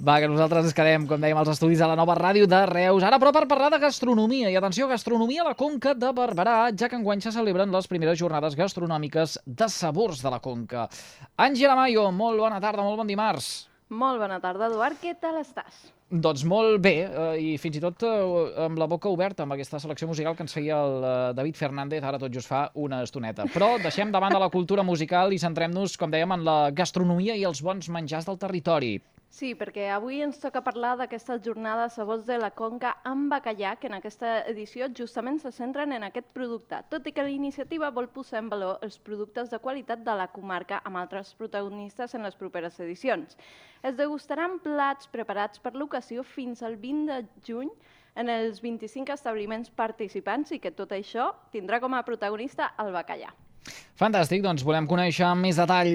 Va, que nosaltres ens quedem, com dèiem, als estudis de la nova ràdio de Reus. Ara, però, per parlar de gastronomia. I atenció, gastronomia a la Conca de Barberà, ja que enguany se celebren les primeres jornades gastronòmiques de sabors de la Conca. Àngela Mayo, molt bona tarda, molt bon dimarts. Molt bona tarda, Eduard. Què tal estàs? Doncs molt bé, i fins i tot amb la boca oberta amb aquesta selecció musical que ens feia el David Fernández ara tot just fa una estoneta. Però deixem davant de la cultura musical i centrem-nos, com dèiem, en la gastronomia i els bons menjars del territori. Sí, perquè avui ens toca parlar d'aquesta jornada Sabors de la Conca amb bacallà, que en aquesta edició justament se centren en aquest producte, tot i que la iniciativa vol posar en valor els productes de qualitat de la comarca amb altres protagonistes en les properes edicions. Es degustaran plats preparats per l'ocasió fins al 20 de juny en els 25 establiments participants i que tot això tindrà com a protagonista el bacallà. Fantàstic, doncs volem conèixer amb més detall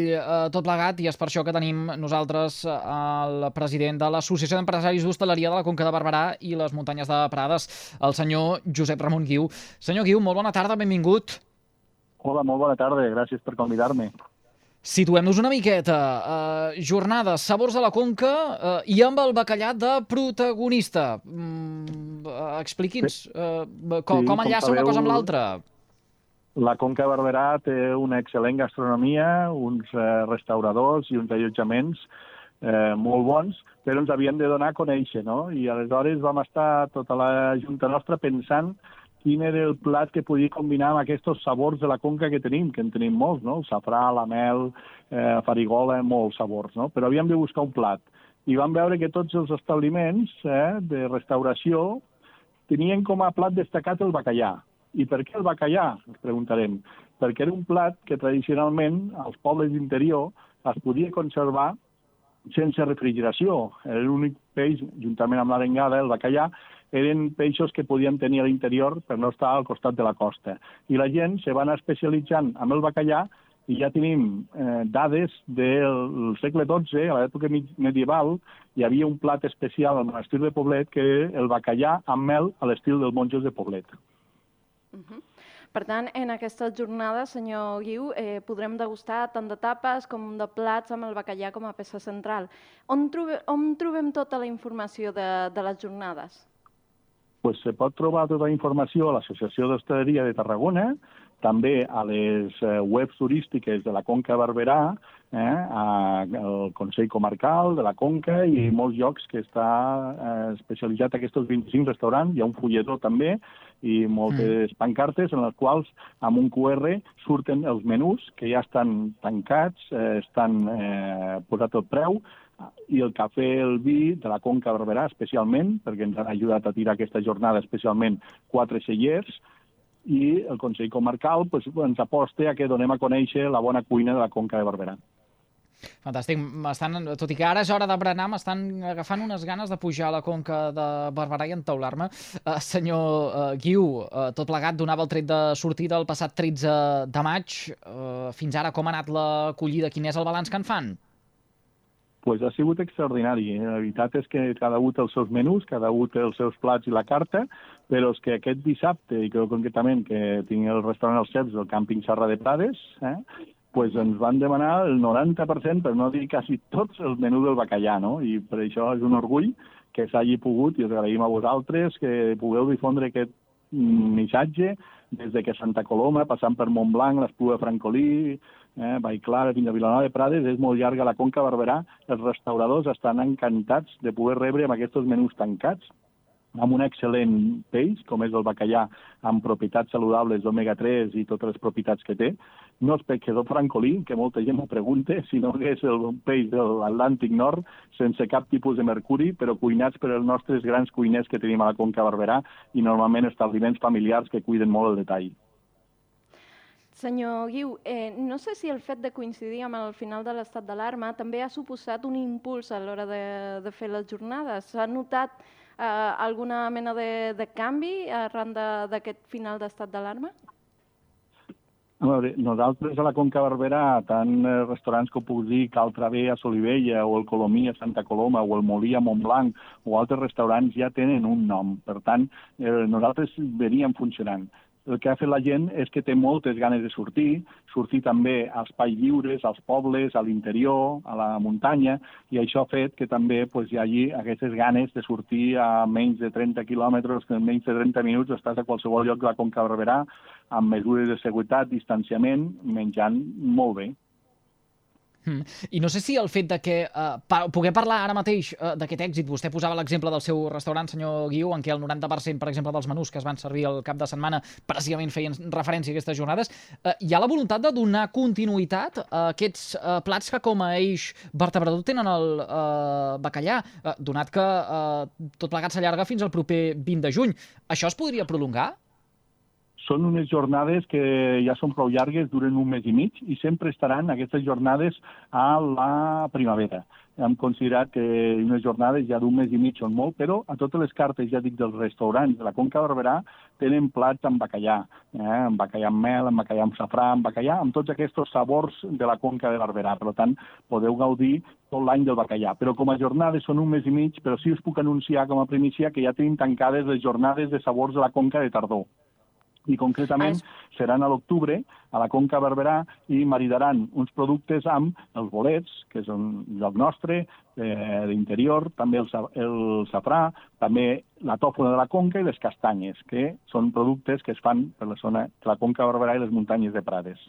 tot plegat i és per això que tenim nosaltres el president de l'Associació d'Empresaris d'Hostaleria de la Conca de Barberà i les Muntanyes de Prades, el senyor Josep Ramon Guiu. Senyor Guiu, molt bona tarda, benvingut. Hola, molt bona tarda, gràcies per convidar-me. Situem-nos una miqueta. Jornades, sabors de la Conca i amb el bacallà de protagonista. Expliqui'ns com enllaça una cosa amb l'altra. La Conca de Barberà té una excel·lent gastronomia, uns restauradors i uns allotjaments molt bons, però ens havien de donar a conèixer, no? I aleshores vam estar tota la junta nostra pensant quin era el plat que podia combinar amb aquests sabors de la Conca que en tenim molts, no? El safrà, la mel, farigola, molts sabors, no? Però havíem de buscar un plat. I vam veure que tots els establiments de restauració tenien com a plat destacat el bacallà. I per què el bacallà? Ens preguntarem. Perquè era un plat que tradicionalment als pobles d'interior es podia conservar sense refrigeració. Era l'únic peix, juntament amb l'arengada, el bacallà, eren peixos que podien tenir a l'interior per no estar al costat de la costa. I la gent se va anar especialitzant amb el bacallà i ja tenim dades del segle XII, a l'època medieval, hi havia un plat especial al monestir de Poblet que era el bacallà amb mel a l'estil dels monjos de Poblet. Per tant, en aquesta jornada, senyor Guiu, podrem degustar tant de tapes com de plats amb el bacallà com a peça central. On trobem tota la informació de les jornades? Pues se pot trobar tota la informació a l'Associació d'Hostaleria de Tarragona, també a les webs turístiques de la Conca de Barberà, al Consell Comarcal de la Conca i molts llocs que està especialitzat en aquests 25 restaurants. Hi ha un fulletó també i moltes pancartes en les quals amb un QR surten els menús que ja estan tancats, estan posat el preu, i el cafè, el vi de la Conca de Barberà especialment, perquè ens han ajudat a tirar aquesta jornada especialment 4 cellers, i el Consell Comarcal ens aposta a que donem a conèixer la bona cuina de la Conca de Barberà. Fantàstic. Tot i que ara és hora de berenar, m'estan agafant unes ganes de pujar a la Conca de Barberà i entaular-me. Senyor Guiu, tot plegat donava el tret de sortida el passat 13 de maig. Fins ara com ha anat l'acollida? Quin és el balanç que en fan? Pues ha sigut extraordinari. La veritat és que cada un té els seus menús, cada un té els seus plats i la carta, però és que aquest dissabte, i crec concretament que tinc el restaurant Els Ceps del càmping Serra de Prades, pues ens van demanar el 90%, per no dir quasi tots, el menú del bacallà, no? I per això és un orgull que s'hagi pogut, i us agraïm a vosaltres, que pugueu difondre aquest missatge des de que Santa Coloma, passant per Montblanc, l'Espluga de Francolí, Vallclara, fins a Vilanova de Prades, és molt llarga la Conca de Barberà. Els restauradors estan encantats de poder rebre amb aquests menús tancats, amb un excel·lent peix, com és el bacallà, amb propietats saludables d'omega-3 i totes les propietats que té. No és pescador francolí, que molta gent m'ho pregunta, sinó que és el peix de l'Atlàntic Nord, sense cap tipus de mercuri, però cuinats per els nostres grans cuiners que tenim a la Conca de Barberà i normalment establiments familiars que cuiden molt el detall. Senyor Guiu, no sé si el fet de coincidir amb el final de l'estat d'alarma també ha suposat un impuls a l'hora de fer les jornades. S'ha notat alguna mena de canvi arran d'aquest final d'estat d'alarma? A veure, nosaltres a la Conca de Barberà, tant restaurants com puc dir Cal Traver a Solivella o el Colomí a Santa Coloma o el Molí a Montblanc o altres restaurants ja tenen un nom. Per tant, nosaltres veníem funcionant. el que ha fet la gent és que té moltes ganes de sortir també a espais lliures, als pobles, a l'interior, a la muntanya, i això ha fet que també hi hagi aquestes ganes de sortir a menys de 30 quilòmetres, que en menys de 30 minuts estàs a qualsevol lloc de la Conca de Barberà, amb mesures de seguretat, distanciament, menjant molt bé. I no sé si el fet de que poder parlar ara mateix d'aquest èxit, vostè posava l'exemple del seu restaurant, senyor Guiu, en què el 90%, per exemple, dels menús que es van servir al cap de setmana precisament feien referència a aquestes jornades, hi ha la voluntat de donar continuïtat a aquests plats que com a eix vertebrador tenen el bacallà, donat que tot plegat s'allarga fins al proper 20 de juny. Això es podria prolongar? Són unes jornades que ja són prou llargues, duren un mes i mig, i sempre estaran aquestes jornades a la primavera. Hem considerat que unes jornades ja d'un mes i mig són molt, però a totes les cartes, ja dic, dels restaurants de la Conca de Barberà tenen plats amb bacallà, amb bacallà amb mel, amb bacallà amb safrà, amb bacallà, amb tots aquests sabors de la Conca de Barberà. Per tant, podeu gaudir tot l'any del bacallà. Però com a jornades són un mes i mig, però sí us puc anunciar com a primícia que ja tenim tancades les jornades de sabors de la Conca de tardor. I concretament seran a l'octubre a la Conca Barberà i maridaran uns productes amb els bolets, que és un lloc nostre, d'interior, també el safrà, també la tòfona de la Conca i les castanyes, que són productes que es fan per la zona de la Conca Barberà i les muntanyes de Prades.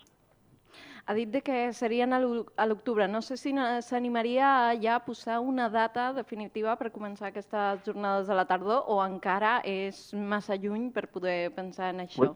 Ha dit que serien a l'octubre. No sé si s'animaria ja a posar una data definitiva per començar aquestes jornades de la tardor o encara és massa lluny per poder pensar en això?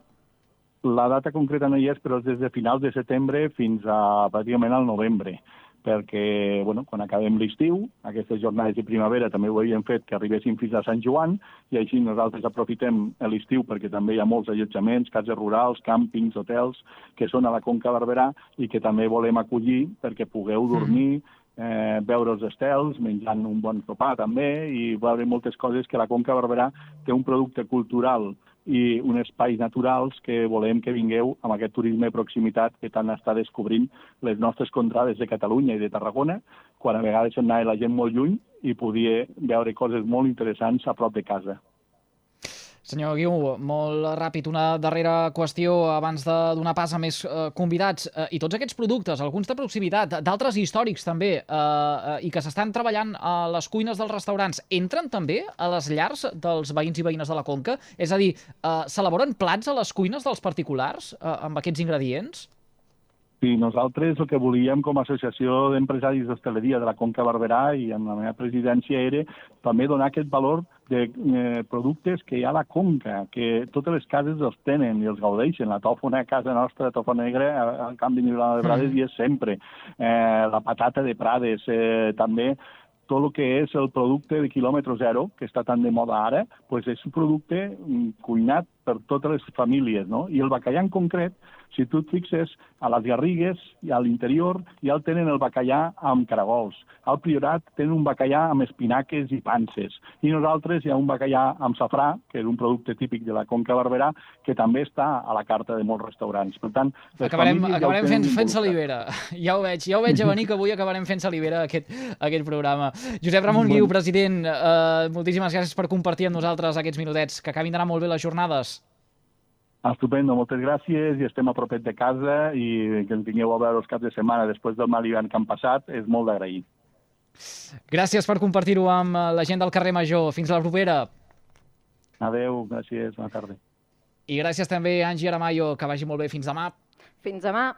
La data concreta no hi és, però és des de finals de setembre fins a pràcticament al novembre, perquè quan acabem l'estiu, aquestes jornades de primavera també ho havíem fet que arribessin fins a Sant Joan, i així nosaltres aprofitem l'estiu perquè també hi ha molts allotjaments, cases rurals, càmpings, hotels, que són a la Conca Barberà i que també volem acollir perquè pugueu dormir, veure els estels, menjant un bon sopar també, i veure moltes coses que la Conca Barberà té un producte cultural i uns espais naturals que volem que vingueu amb aquest turisme de proximitat que tant està descobrint les nostres contrades de Catalunya i de Tarragona, quan a vegades se'n anava la gent molt lluny i podia veure coses molt interessants a prop de casa. Senyor Guiu, molt ràpid, una darrera qüestió abans de donar pas a més convidats. I tots aquests productes, alguns de proximitat, d'altres històrics també, i que s'estan treballant a les cuines dels restaurants, entren també a les llars dels veïns i veïnes de la Conca? És a dir, s'elaboren plats a les cuines dels particulars amb aquests ingredients? Sí, nosaltres el que volíem com a associació d'empresaris d'hostaleria de la Conca Barberà i amb la meva presidència era també donar aquest valor de productes que hi ha a la Conca, que totes les cases els tenen i els gaudeixen. La tòfona a casa nostra, la tòfona negra, al Camp de Vilanova de Prades hi és sempre. La patata de Prades, també tot el que és el producte de quilòmetre zero, que està tan de moda ara, és un producte cuinat per totes les famílies, no? I el bacallà en concret, si tu et fixes, a les Garrigues i a l'interior ja el tenen el bacallà amb caragols. Al Priorat tenen un bacallà amb espinaques i panses. I nosaltres hi ha un bacallà amb safrà, que és un producte típic de la Conca Barberà, que també està a la carta de molts restaurants. Per tant, acabarem fent salivera. Ja ho veig a venir que avui acabarem fent salivera aquest programa. Josep Ramon Guiu, president, moltíssimes gràcies per compartir amb nosaltres aquests minutets. Que acabin d'anar molt bé les jornades. Estupendo, moltes gràcies, i estem a propet de casa, i que ens vingueu a veure els caps de setmana després del mal hivern que han passat és molt d'agrair. Gràcies per compartir-ho amb la gent del carrer Major. Fins la propera. Adéu, gràcies, bona tarda. I gràcies també a Angie Aramayo, que vagi molt bé. Fins demà. Fins demà.